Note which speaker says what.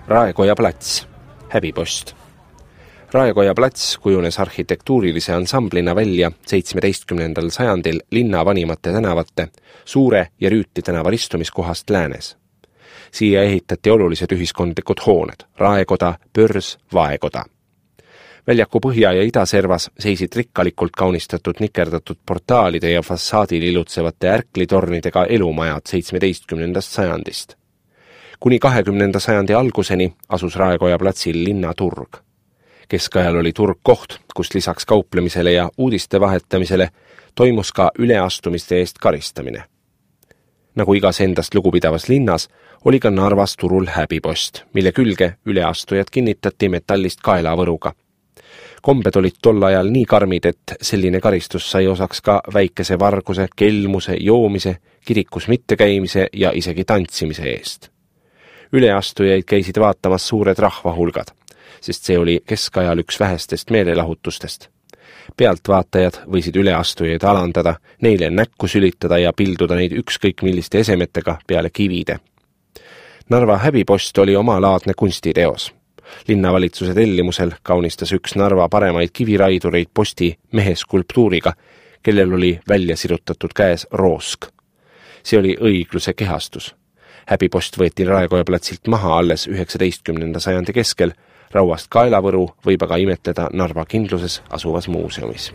Speaker 1: Raekoja plats, häbipost. Raekoja plats kujunes arhitektuurilise ansamblina välja 17. sajandil linna vanimate tänavate, Suure ja Rüüti tänava ristumiskohast läänes. Siia ehitati olulised ühiskondlikud hooned, Raekoda, Pörs, Vaekoda. Väljaku põhja- ja idaservas seisid rikkalikult kaunistatud nikerdatud portaalide ja fassaadil ilutsevate ärklitornidega elumajad 17. sajandist. Kuni 20. sajandi alguseni asus Raekoja platsil linnaturg. Keskajal oli turg koht, kus lisaks kauplemisele ja uudiste vahetamisele toimus ka üleastumiste eest karistamine. Nagu igas endast lugupidavas linnas, oli ka Narvas turul häbipost, mille külge üleastujad kinnitati metallist kaelavõruga. Kombed olid tol ajal nii karmid, et selline karistus sai osaks ka väikese varguse, kelmuse, joomise, kirikus mittekäimise ja isegi tantsimise eest. Üleastujaid käisid vaatamas suured rahvahulgad, sest see oli keskajal üks vähestest meelelahutustest. Pealtvaatajad võisid üleastujaid alandada, neile näkku sülitada ja pilduda neid ükskõik milliste esemetega peale kivide. Narva häbipost oli omalaadne kunstiteos. Linnavalitsuse tellimusel kaunistas üks Narva paremaid kiviraidureid posti meheskulptuuriga, kellel oli välja sirutatud käes roosk. See oli õigluse kehastus. Häbipost võeti Raekoja platsilt maha alles 19. sajandi keskel, rauast kaelavõru võib aga imetleda Narva Kindluses asuvas muuseumis.